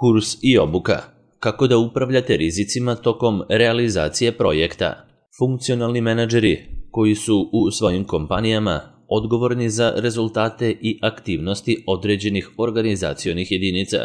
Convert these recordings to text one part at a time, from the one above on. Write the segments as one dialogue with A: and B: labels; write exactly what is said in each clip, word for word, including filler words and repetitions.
A: Kurs i obuka. Kako da upravljate rizicima tokom realizacije projekta. Funkcionalni menadžeri koji su u svojim kompanijama odgovorni za rezultate i aktivnosti određenih organizacionih jedinica,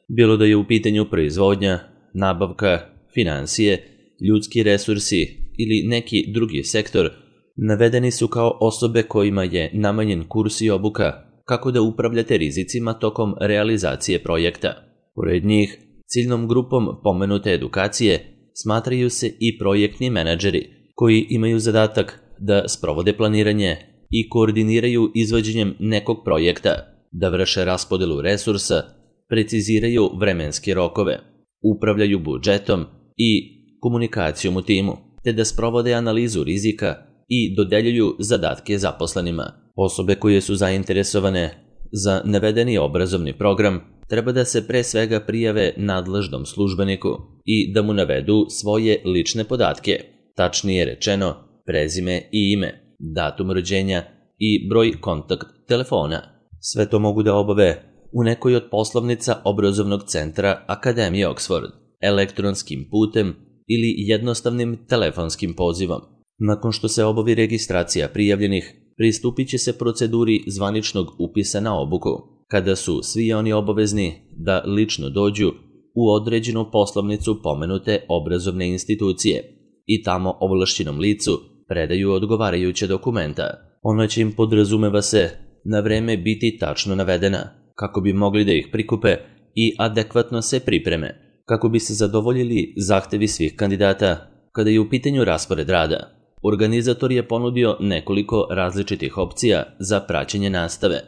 A: bilo da je u pitanju proizvodnja, nabavka, finansije, ljudski resursi ili neki drugi sektor, navedeni su kao osobe kojima je namenjen kurs i obuka kako da upravljate rizicima tokom realizacije projekta. Pored njih, ciljnom grupom pomenute edukacije smatraju se i projektni menadžeri koji imaju zadatak da sprovode planiranje i koordiniraju izvođenjem nekog projekta, da vrše raspodelu resursa, preciziraju vremenske rokove, upravljaju budžetom i komunikacijom u timu, te da sprovode analizu rizika i dodeljuju zadatke zaposlenima. Osobe koje su zainteresovane za navedeni obrazovni program treba da se pre svega prijave nadležnom službeniku i da mu navedu svoje lične podatke, tačnije rečeno prezime i ime, datum rođenja i broj kontakt telefona. Sve to mogu da obave u nekoj od poslovnica obrazovnog centra Akademije Oxford, elektronskim putem ili jednostavnim telefonskim pozivom. Nakon što se obavi registracija prijavljenih, pristupit će se proceduri zvaničnog upisa na obuku, kada su svi oni obavezni da lično dođu u određenu poslovnicu pomenute obrazovne institucije i tamo ovlašćenom licu predaju odgovarajuće dokumenta. Ona će im, podrazumeva se, na vreme biti tačno navedena, kako bi mogli da ih prikupe i adekvatno se pripreme, kako bi se zadovoljili zahtevi svih kandidata. Kada je u pitanju raspored rada, organizator je ponudio nekoliko različitih opcija za praćenje nastave.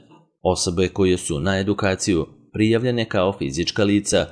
A: Osobe koje su na edukaciju prijavljene kao fizička lica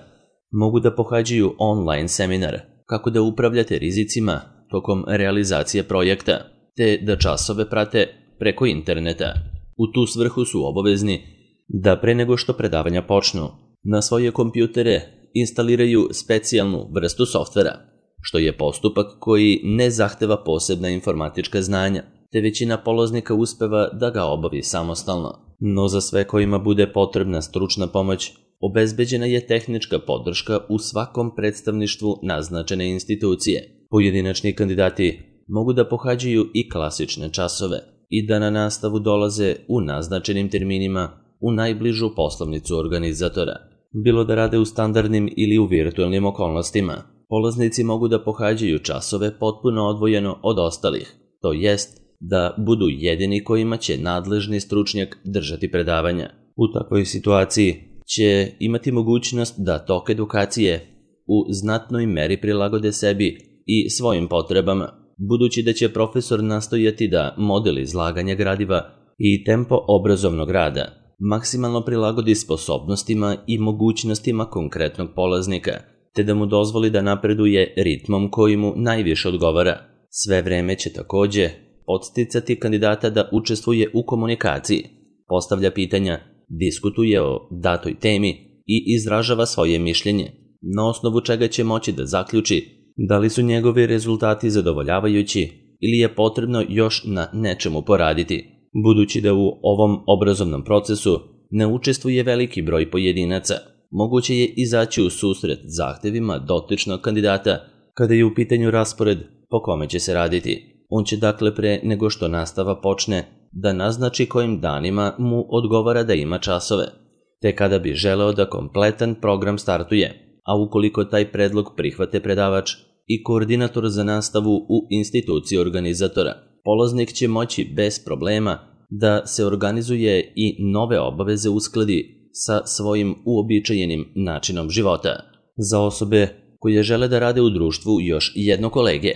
A: mogu da pohađaju online seminar kako da upravljate rizicima tokom realizacije projekta, te da časove prate preko interneta. U tu svrhu su obavezni da pre nego što predavanja počnu, na svoje kompjutere instaliraju specijalnu vrstu softvera, što je postupak koji ne zahteva posebna informatička znanja, te većina polaznika uspeva da ga obavi samostalno. No za sve kojima bude potrebna stručna pomoć, obezbeđena je tehnička podrška u svakom predstavništvu naznačene institucije. Pojedinačni kandidati mogu da pohađaju i klasične časove i da na nastavu dolaze u naznačenim terminima u najbližu poslovnicu organizatora. Bilo da rade u standardnim ili u virtualnim okolnostima, polaznici mogu da pohađaju časove potpuno odvojeno od ostalih, to jest da budu jedini kojima će nadležni stručnjak držati predavanja. U takvoj situaciji će imati mogućnost da tok edukacije u znatnoj meri prilagode sebi i svojim potrebama, budući da će profesor nastojati da model izlaganja gradiva i tempo obrazovnog rada maksimalno prilagodi sposobnostima i mogućnostima konkretnog polaznika, te da mu dozvoli da napreduje ritmom koji mu najviše odgovara. Sve vreme će takođe podsticati kandidata da učestvuje u komunikaciji, postavlja pitanja, diskutuje o datoj temi i izražava svoje mišljenje, na osnovu čega će moći da zaključi da li su njegovi rezultati zadovoljavajući ili je potrebno još na nečemu poraditi. Budući da u ovom obrazovnom procesu ne učestvuje veliki broj pojedinaca, moguće je izaći u susret zahtevima dotičnog kandidata kada je u pitanju raspored po kome će se raditi. On će dakle pre nego što nastava počne da naznači kojim danima mu odgovara da ima časove, te kada bi želeo da kompletan program startuje, a ukoliko taj predlog prihvate predavač i koordinator za nastavu u instituciji organizatora, polaznik će moći bez problema da se organizuje i nove obaveze uskladi sa svojim uobičajenim načinom života. Za osobe koje žele da rade u društvu još jedno kolege,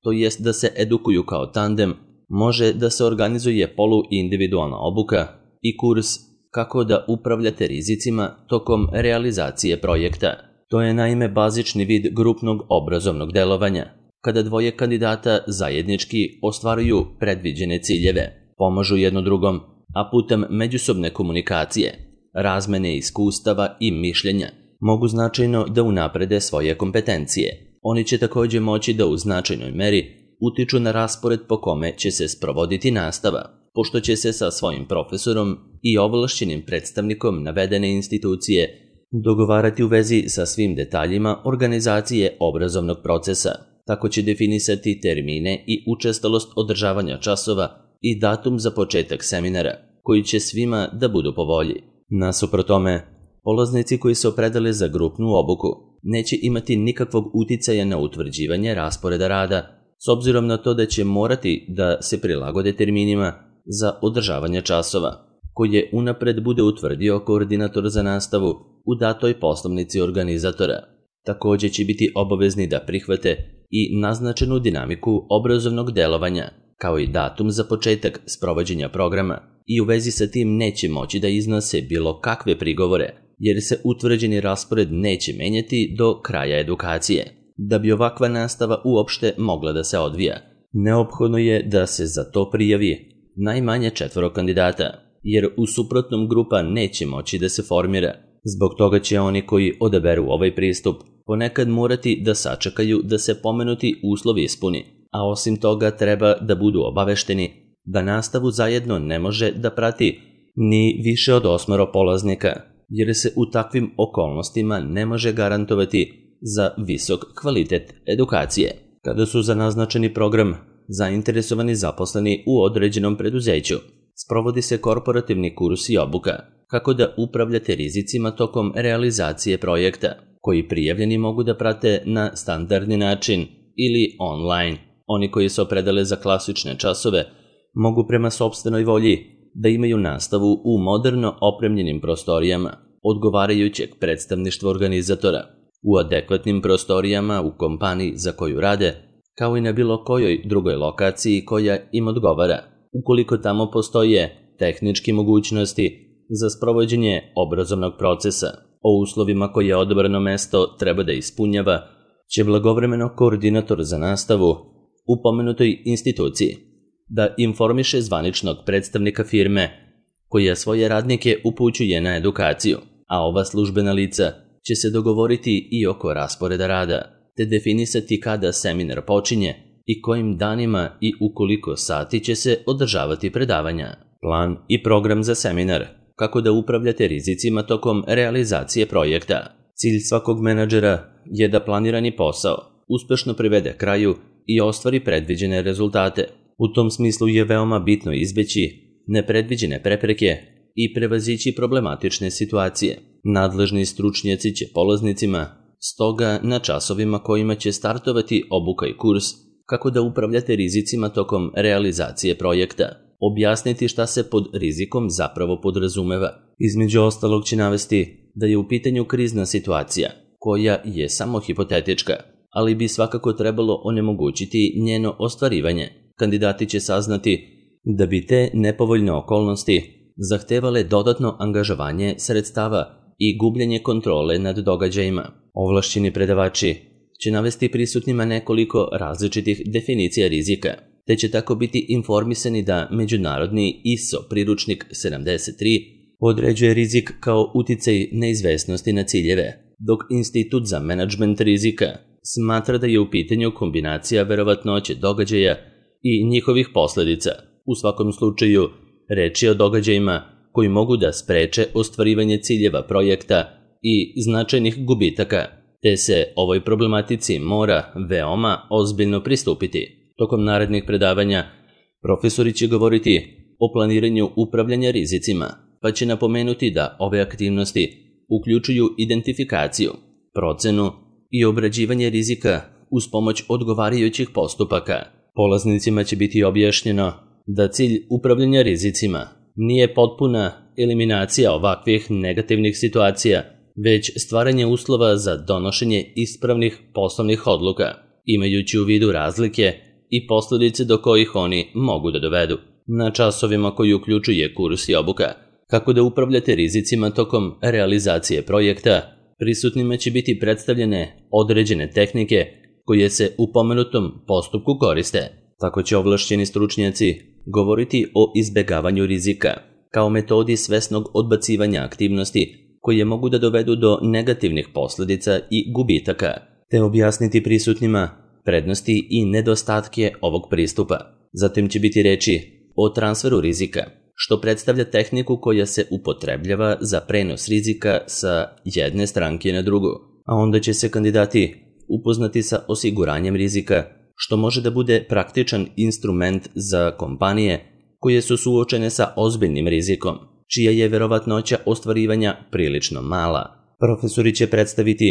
A: to jest da se edukuju kao tandem, može da se organizuje poluindividualna obuka i kurs kako da upravljate rizicima tokom realizacije projekta. To je naime bazični vid grupnog obrazovnog delovanja, kada dvoje kandidata zajednički ostvaruju predviđene ciljeve, pomažu jedno drugom, a putem međusobne komunikacije, razmene iskustava i mišljenja, mogu značajno da unaprede svoje kompetencije. Oni će takođe moći da u značajnoj meri utiču na raspored po kome će se sprovoditi nastava, pošto će se sa svojim profesorom i ovlašćenim predstavnikom navedene institucije dogovarati u vezi sa svim detaljima organizacije obrazovnog procesa. Tako će definisati termine i učestalost održavanja časova i datum za početak seminara, koji će svima da budu po volji. Nasuprot tome, polaznici koji se opredele za grupnu obuku neće imati nikakvog uticaja na utvrđivanje rasporeda rada, s obzirom na to da će morati da se prilagode terminima za održavanje časova, koje unapred bude utvrdio koordinator za nastavu u datoj poslovnici organizatora. Također će biti obavezni da prihvate i naznačenu dinamiku obrazovnog delovanja, kao i datum za početak sprovođenja programa, i u vezi sa tim neće moći da iznose bilo kakve prigovore, jer se utvrđeni raspored neće menjati do kraja edukacije. Da bi ovakva nastava uopšte mogla da se odvija, neophodno je da se za to prijavi najmanje četvoro kandidata, jer u suprotnom grupa neće moći da se formira. Zbog toga će oni koji odaberu ovaj pristup ponekad morati da sačekaju da se pomenuti uslovi ispuni, a osim toga treba da budu obavešteni da nastavu zajedno ne može da prati ni više od osmoro polaznika, jer se u takvim okolnostima ne može garantovati za visok kvalitet edukacije. Kada su za naznačeni program zainteresovani zaposleni u određenom preduzeću, sprovodi se korporativni kurs i obuka kako da upravljate rizicima tokom realizacije projekta, koji prijavljeni mogu da prate na standardni način ili online. Oni koji se opredele za klasične časove mogu prema sopstvenoj volji da imaju nastavu u moderno opremljenim prostorijama odgovarajućeg predstavništva organizatora, u adekvatnim prostorijama u kompaniji za koju rade, kao i na bilo kojoj drugoj lokaciji koja im odgovara, ukoliko tamo postoje tehničke mogućnosti za sprovođenje obrazovnog procesa. O uslovima koje odabrano mesto treba da ispunjava će blagovremeno koordinator za nastavu u pomenutoj instituciji da informiše zvaničnog predstavnika firme koja svoje radnike upućuje na edukaciju, a ova službena lica će se dogovoriti i oko rasporeda rada, te definisati kada seminar počinje i kojim danima i u koliko sati će se održavati predavanja. Plan i program za seminar, kako da upravljate rizicima tokom realizacije projekta. Cilj svakog menadžera je da planirani posao uspešno privede kraju i ostvari predviđene rezultate. U tom smislu je veoma bitno izbeći nepredviđene prepreke i prevazići problematične situacije. Nadležni stručnjaci će polaznicima stoga na časovima kojima će startovati obuka i kurs kako da upravljate rizicima tokom realizacije projekta, objasniti šta se pod rizikom zapravo podrazumeva. Između ostalog će navesti da je u pitanju krizna situacija, koja je samo hipotetička, ali bi svakako trebalo onemogućiti njeno ostvarivanje. Kandidati će saznati da bi te nepovoljne okolnosti zahtevale dodatno angažovanje sredstava i gubljenje kontrole nad događajima. Ovlašćeni predavači će navesti prisutnima nekoliko različitih definicija rizika, te će tako biti informisani da međunarodni I S O priručnik sedamdeset tri određuje rizik kao uticaj neizvesnosti na ciljeve, dok Institut za menadžment rizika smatra da je u pitanju kombinacija verovatnoće događaja i njihovih posledica. U svakom slučaju, reč je o događajima koji mogu da spreče ostvarivanje ciljeva projekta i značajnih gubitaka, te se ovoj problematici mora veoma ozbiljno pristupiti. Tokom narednih predavanja, profesori će govoriti o planiranju upravljanja rizicima, pa će napomenuti da ove aktivnosti uključuju identifikaciju, procenu i obrađivanje rizika uz pomoć odgovarajućih postupaka. Polaznicima će biti objašnjeno da cilj upravljanja rizicima nije potpuna eliminacija ovakvih negativnih situacija, već stvaranje uslova za donošenje ispravnih poslovnih odluka, imajući u vidu razlike i posledice do kojih oni mogu da dovedu. Na časovima koji uključuje kurs i obuka, kako da upravljate rizicima tokom realizacije projekta, prisutnima će biti predstavljene određene tehnike koje se u pomenutom postupku koriste. Tako će ovlašćeni stručnjaci govoriti o izbegavanju rizika, kao metodi svesnog odbacivanja aktivnosti koje mogu da dovedu do negativnih posledica i gubitaka, te objasniti prisutnima prednosti i nedostatke ovog pristupa. Zatim će biti reči o transferu rizika, što predstavlja tehniku koja se upotrebljava za prenos rizika sa jedne stranke na drugu, a onda će se kandidati upoznati sa osiguranjem rizika, što može da bude praktičan instrument za kompanije koje su suočene sa ozbiljnim rizikom, čija je verovatnoća ostvarivanja prilično mala. Profesori će predstaviti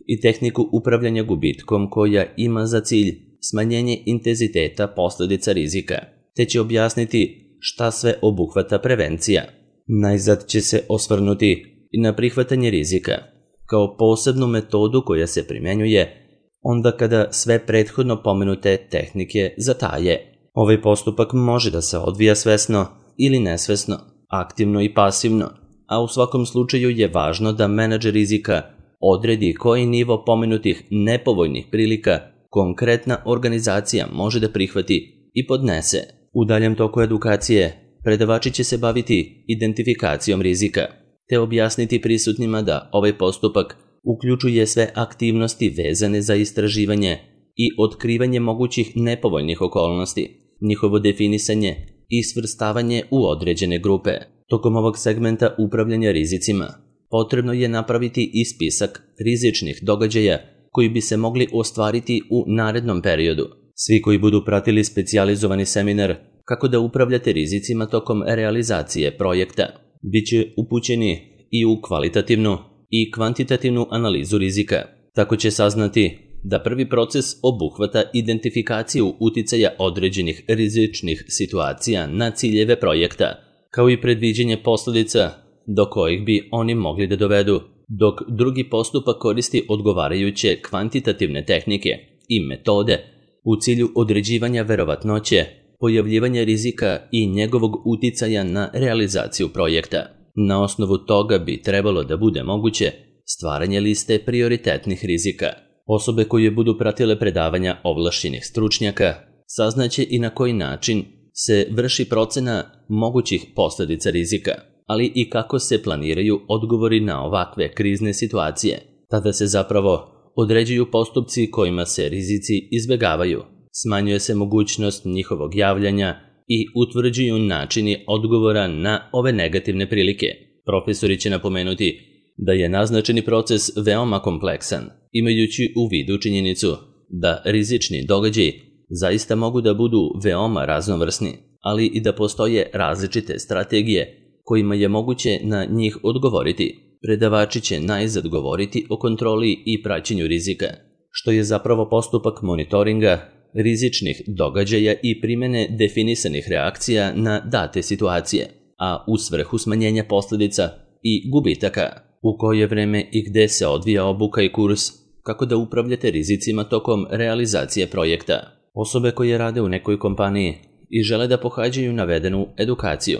A: i tehniku upravljanja gubitkom koja ima za cilj smanjenje intenziteta posljedica rizika, te će objasniti šta sve obuhvata prevencija. Najzad će se osvrnuti i na prihvatanje rizika, kao posebnu metodu koja se primjenjuje onda kada sve prethodno pomenute tehnike zataje. Ovaj postupak može da se odvija svesno ili nesvesno, aktivno i pasivno, a u svakom slučaju je važno da menadžer rizika odredi koji nivo pomenutih nepovoljnih prilika konkretna organizacija može da prihvati i podnese. U daljem toku edukacije predavači će se baviti identifikacijom rizika, te objasniti prisutnima da ovaj postupak uključuje sve aktivnosti vezane za istraživanje i otkrivanje mogućih nepovoljnih okolnosti, njihovo definisanje i svrstavanje u određene grupe. Tokom ovog segmenta upravljanja rizicima potrebno je napraviti i spisak rizičnih događaja koji bi se mogli ostvariti u narednom periodu. Svi koji budu pratili specijalizovani seminar kako da upravljate rizicima tokom realizacije projekta, bit će upućeni i u kvalitativnu i kvantitativnu analizu rizika. Tako će saznati da prvi proces obuhvata identifikaciju uticaja određenih rizičnih situacija na ciljeve projekta, kao i predviđenje posljedica do kojih bi oni mogli da dovedu, dok drugi postupak koristi odgovarajuće kvantitativne tehnike i metode u cilju određivanja verovatnoće, pojavljivanja rizika i njegovog uticaja na realizaciju projekta. Na osnovu toga bi trebalo da bude moguće stvaranje liste prioritetnih rizika. Osobe koje budu pratile predavanja ovlašćenih stručnjaka saznaće i na koji način se vrši procena mogućih posljedica rizika, ali i kako se planiraju odgovori na ovakve krizne situacije. Tada se zapravo određuju postupci kojima se rizici izbjegavaju, smanjuje se mogućnost njihovog javljanja i utvrđuju načini odgovora na ove negativne prilike. Profesori će napomenuti da je naznačeni proces veoma kompleksan, imajući u vidu činjenicu da rizični događaji zaista mogu da budu veoma raznovrsni, ali i da postoje različite strategije kojima je moguće na njih odgovoriti. Predavači će najzad govoriti o kontroli i praćenju rizika, što je zapravo postupak monitoringa rizičnih događaja i primjene definisanih reakcija na date situacije, a u svrhu smanjenja posljedica i gubitaka. U koje vreme i gde se odvija obuka i kurs, kako da upravljate rizicima tokom realizacije projekta. Osobe koje rade u nekoj kompaniji i žele da pohađaju navedenu edukaciju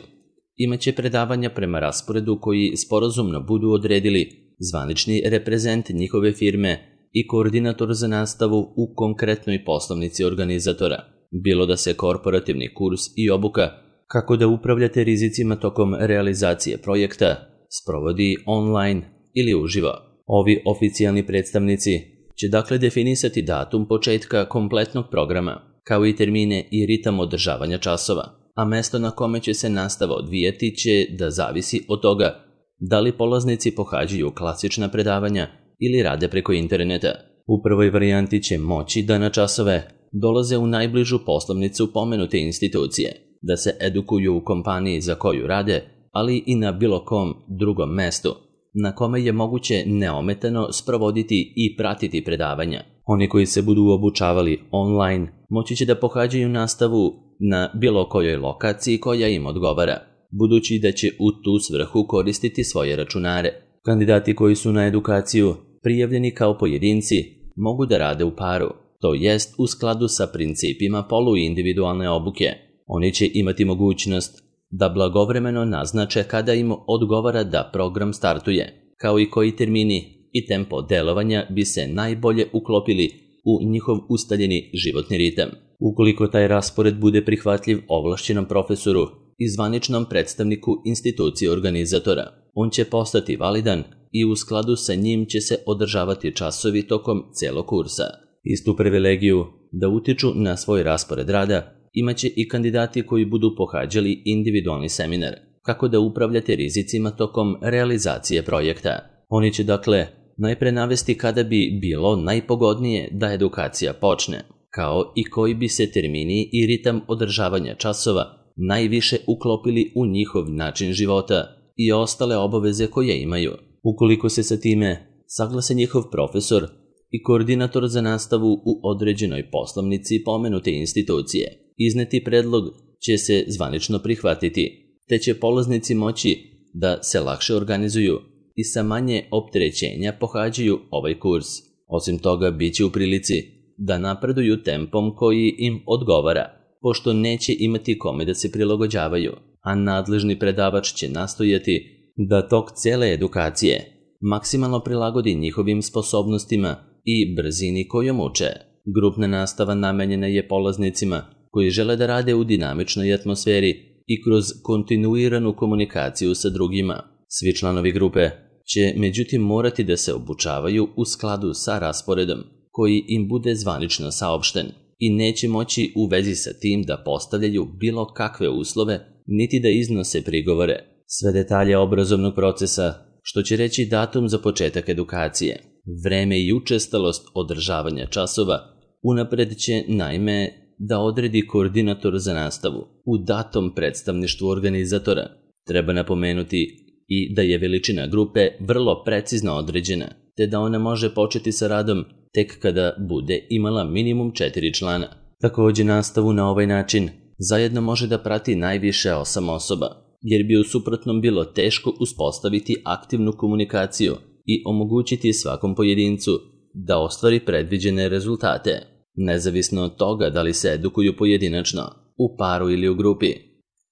A: imaće predavanja prema rasporedu koji sporazumno budu odredili zvanični reprezent njihove firme i koordinator za nastavu u konkretnoj poslovnici organizatora, bilo da se korporativni kurs i obuka kako da upravljate rizicima tokom realizacije projekta sprovodi online ili uživo. Ovi oficijalni predstavnici će dakle definisati datum početka kompletnog programa, kao i termine i ritam održavanja časova, a mesto na kome će se nastava odvijati će da zavisi od toga da li polaznici pohađaju klasična predavanja ili rade preko interneta. U prvoj varijanti će moći da na časove dolaze u najbližu poslovnicu pomenute institucije, da se edukuju u kompaniji za koju rade, ali i na bilo kom drugom mestu, na kome je moguće neometano sprovoditi i pratiti predavanja. Oni koji se budu obučavali online moći će da pohađaju nastavu na bilo kojoj lokaciji koja im odgovara, budući da će u tu svrhu koristiti svoje računare. Kandidati koji su na edukaciju prijavljeni kao pojedinci mogu da rade u paru, to jest u skladu sa principima poluindividualne obuke. Oni će imati mogućnost da blagovremeno naznače kada im odgovara da program startuje, kao i koji termini i tempo delovanja bi se najbolje uklopili u njihov ustaljeni životni ritam. Ukoliko taj raspored bude prihvatljiv ovlašćenom profesoru i zvaničnom predstavniku institucije organizatora, on će postati validan i u skladu sa njim će se održavati časovi tokom celog kursa. Istu privilegiju da utiču na svoj raspored rada Imaće i kandidati koji budu pohađali individualni seminar, kako da upravljate rizicima tokom realizacije projekta. Oni će dakle najpre navesti kada bi bilo najpogodnije da edukacija počne, kao i koji bi se termini i ritam održavanja časova najviše uklopili u njihov način života i ostale obaveze koje imaju. Ukoliko se sa time saglase njihov profesor i koordinator za nastavu u određenoj poslovnici pomenute institucije, izneti predlog će se zvanično prihvatiti, te će polaznici moći da se lakše organizuju i sa manje opterećenja pohađaju ovaj kurs. Osim toga, bit će u prilici da napreduju tempom koji im odgovara, pošto neće imati kome da se prilagođavaju, a nadležni predavač će nastojati da tok cele edukacije maksimalno prilagodi njihovim sposobnostima i brzini kojom uče. Grupna nastava namenjena je polaznicima koji žele da rade u dinamičnoj atmosferi i kroz kontinuiranu komunikaciju sa drugima. Svi članovi grupe će međutim morati da se obučavaju u skladu sa rasporedom koji im bude zvanično saopšten i neće moći u vezi sa tim da postavljaju bilo kakve uslove niti da iznose prigovore. Sve detalje obrazovnog procesa, što će reći datum za početak edukacije, vreme i učestalost održavanja časova, unapred će naime da odredi koordinator za nastavu u datom predstavništvu organizatora. Treba napomenuti i da je veličina grupe vrlo precizno određena, te da ona može početi sa radom tek kada bude imala minimum četiri člana. Također nastavu na ovaj način zajedno može da prati najviše osam osoba, jer bi u suprotnom bilo teško uspostaviti aktivnu komunikaciju i omogućiti svakom pojedincu da ostvari predviđene rezultate, nezavisno od toga da li se edukuju pojedinačno, u paru ili u grupi.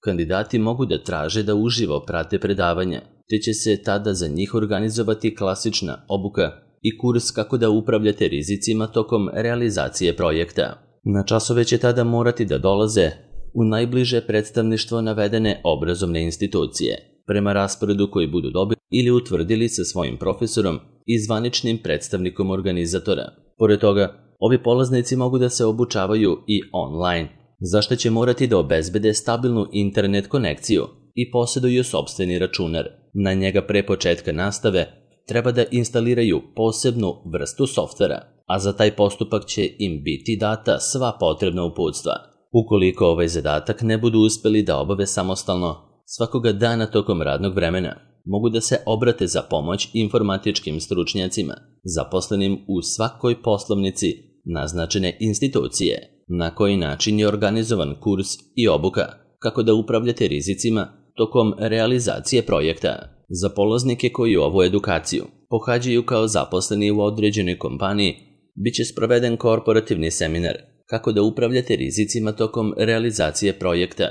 A: Kandidati mogu da traže da uživo prate predavanja, te će se tada za njih organizovati klasična obuka i kurs kako da upravljate rizicima tokom realizacije projekta. Na časove će tada morati da dolaze u najbliže predstavništvo navedene obrazovne institucije, prema rasporedu koji budu dobili ili utvrdili sa svojim profesorom i zvaničnim predstavnikom organizatora. Pored toga, ovi polaznici mogu da se obučavaju i online, za što će morati da obezbede stabilnu internet konekciju i posjeduju sopstveni računar. Na njega pre početka nastave treba da instaliraju posebnu vrstu softvera, a za taj postupak će im biti data sva potrebna uputstva. Ukoliko ovaj zadatak ne budu uspeli da obave samostalno, svakoga dana tokom radnog vremena mogu da se obrate za pomoć informatičkim stručnjacima, zaposlenim u svakoj poslovnici naznačene institucije, na koji način je organizovan kurs i obuka, kako da upravljate rizicima tokom realizacije projekta. Za polaznike koji ovu edukaciju pohađaju kao zaposleni u određenoj kompaniji, bit će sproveden korporativni seminar, kako da upravljate rizicima tokom realizacije projekta,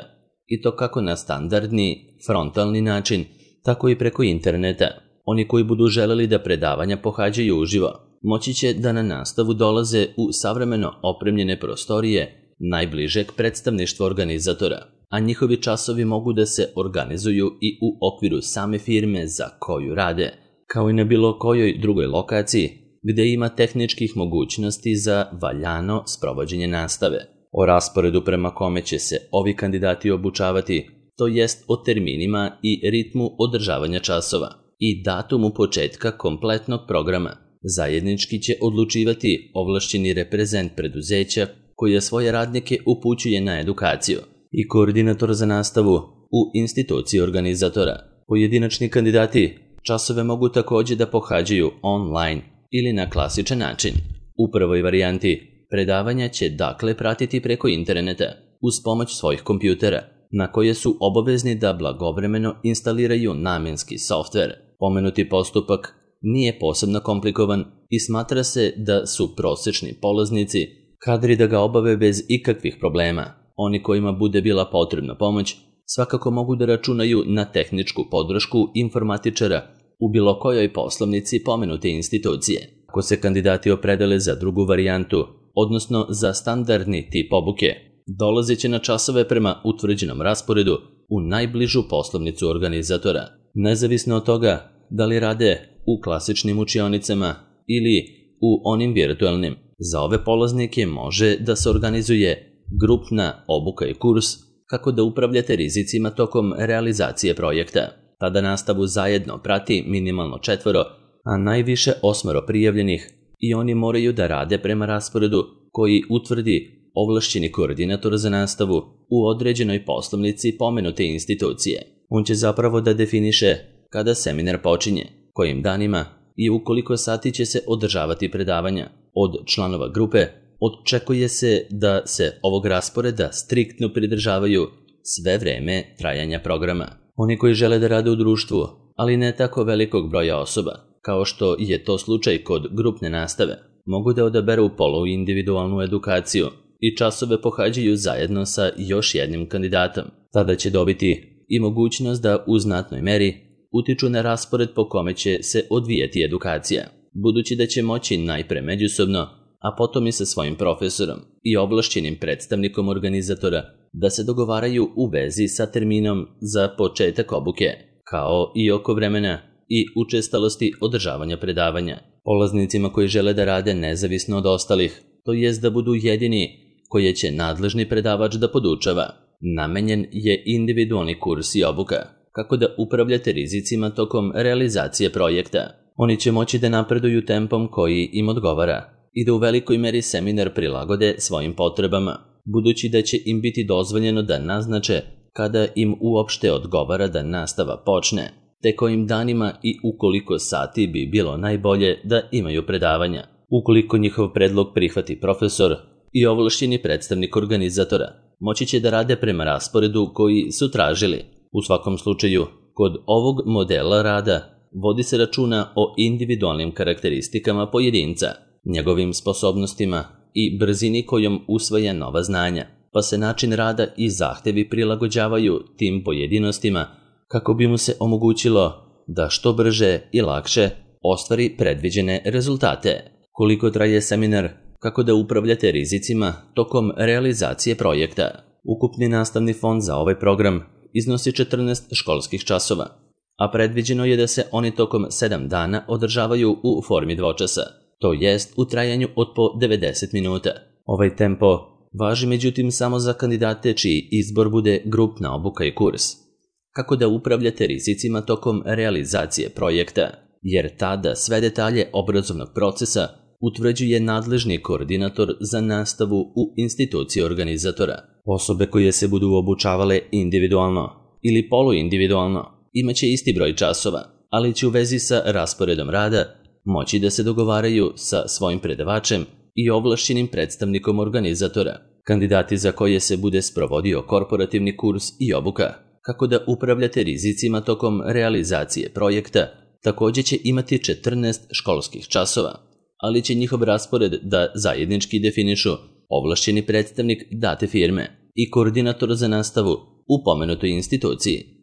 A: i to kako na standardni, frontalni način, tako i preko interneta. Oni koji budu želeli da predavanja pohađaju uživo, moći će da na nastavu dolaze u savremeno opremljene prostorije najbližeg predstavništva organizatora, a njihovi časovi mogu da se organizuju i u okviru same firme za koju rade, kao i na bilo kojoj drugoj lokaciji gde ima tehničkih mogućnosti za valjano sprovođenje nastave. O rasporedu prema kome će se ovi kandidati obučavati, to jest o terminima i ritmu održavanja časova i datumu početka kompletnog programa, zajednički će odlučivati ovlašćeni reprezent preduzeća koje svoje radnike upućuje na edukaciju i koordinator za nastavu u instituciji organizatora. Pojedinačni kandidati časove mogu također da pohađaju online ili na klasičan način. U prvoj varijanti predavanja će dakle pratiti preko interneta uz pomoć svojih kompjutera, na koje su obavezni da blagovremeno instaliraju namenski softver. Pomenuti postupak nije posebno komplikovan i smatra se da su prosečni polaznici kadri da ga obave bez ikakvih problema. Oni kojima bude bila potrebna pomoć svakako mogu da računaju na tehničku podršku informatičara u bilo kojoj poslovnici pomenute institucije. Ako se kandidati opredele za drugu varijantu, odnosno za standardni tip obuke, dolazit će na časove prema utvrđenom rasporedu u najbližu poslovnicu organizatora. Nezavisno od toga da li rade u klasičnim učionicama ili u onim virtualnim, za ove polaznike može da se organizuje grupna obuka i kurs kako da upravljate rizicima tokom realizacije projekta. Tada nastavu zajedno prati minimalno četvoro, a najviše osmoro prijavljenih i oni moraju da rade prema rasporedu koji utvrdi ovlašćeni koordinator za nastavu u određenoj poslovnici pomenute institucije. On će zapravo da definiše kada seminar počinje, kojim danima i u koliko sati će se održavati predavanja. Od članova grupe očekuje se da se ovog rasporeda striktno pridržavaju sve vreme trajanja programa. Oni koji žele da rade u društvu, ali ne tako velikog broja osoba, kao što je to slučaj kod grupne nastave, mogu da odaberu poluindividualnu edukaciju i časove pohađaju zajedno sa još jednim kandidatom. Tada će dobiti i mogućnost da u znatnoj meri utiču na raspored po kome će se odvijati edukacija, budući da će moći najpre međusobno, a potom i sa svojim profesorom i ovlašćenim predstavnikom organizatora da se dogovaraju u vezi sa terminom za početak obuke, kao i oko vremena i učestalosti održavanja predavanja. Polaznicima koji žele da rade nezavisno od ostalih, to jest da budu jedini koje će nadležni predavač da podučava, namenjen je individualni kurs i obuka, kako da upravljate rizicima tokom realizacije projekta. Oni će moći da napreduju tempom koji im odgovara i da u velikoj meri seminar prilagode svojim potrebama, budući da će im biti dozvoljeno da naznače kada im uopšte odgovara da nastava počne, te kojim danima i ukoliko sati bi bilo najbolje da imaju predavanja. Ukoliko njihov predlog prihvati profesor i ovlašćeni predstavnik organizatora, moći će da rade prema rasporedu koji su tražili. U svakom slučaju, kod ovog modela rada vodi se računa o individualnim karakteristikama pojedinca, njegovim sposobnostima i brzini kojom usvaja nova znanja, pa se način rada i zahtevi prilagođavaju tim pojedinostima kako bi mu se omogućilo da što brže i lakše ostvari predviđene rezultate. Koliko traje seminar, kako da upravljate rizicima tokom realizacije projekta? Ukupni nastavni fond za ovaj program iznosi četrnaest školskih časova, a predviđeno je da se oni tokom sedam dana održavaju u formi dvočasa, to jest u trajanju od po devedeset minuta. Ovaj tempo važi međutim samo za kandidate čiji izbor bude grupna obuka i kurs. Kako da upravljate rizicima tokom realizacije projekta, jer tada sve detalje obrazovnog procesa utvrđuje nadležni koordinator za nastavu u instituciji organizatora. Osobe koje se budu obučavale individualno ili poluindividualno imaće isti broj časova, ali će u vezi sa rasporedom rada moći da se dogovaraju sa svojim predavačem i ovlašćenim predstavnikom organizatora. Kandidati za koje se bude sprovodio korporativni kurs i obuka, kako da upravljate rizicima tokom realizacije projekta, također će imati četrnaest školskih časova, ali će njihov raspored da zajednički definišu ovlašćeni predstavnik date firme i koordinator za nastavu u pomenutoj instituciji.